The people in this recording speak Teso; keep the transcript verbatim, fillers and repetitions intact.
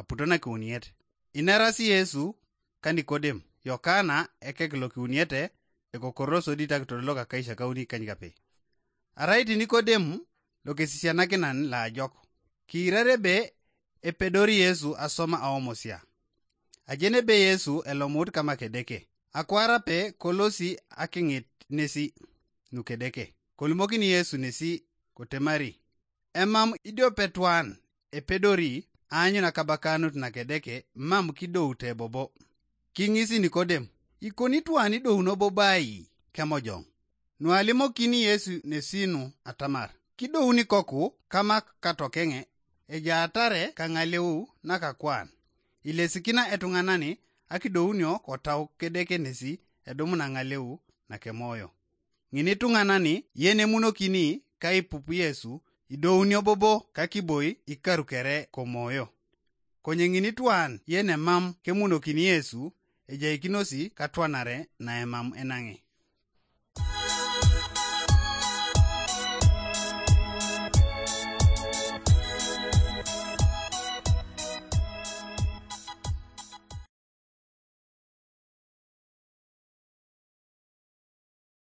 aputo nakiuniet. Inerasi Yesu ka Nikodem, Yokana ekek lokiuniete, ekokoro sodi takitor lokakaisiakauni kanykape. Arai ti Nikodem lokesisianakinan laajok, kiirare ebe epedori Yesu asoma aomosia. Ajen ebe Yesu elomut kama Kedeke, akwar ape kolosi aking'it nesi nukedeke. Kolimokini Yesu nesi kotemari, emam idiopetuan epedori aanyun akabakanut nakedeke mam kidoute bobo. King'isi Nikodem, ikoni tuan idouno bobo ai kemojong? Nualimokini Yesu nesi nu atamar, kidouni koku kama katokeng'e, ejaatare kaŋaleu nakakwan. Ilesikina etuŋanani akidounio kotau kedeke nesi edumuna ŋaleu nakemoyo. Ŋini tuŋanani yenemunokini kaipup Yesu idounio bobo kakiboi ikarukere komoyo. Konye ŋini tuan yenemam kemunokini Yesu ejaikinosi katwanare naemam enaŋe.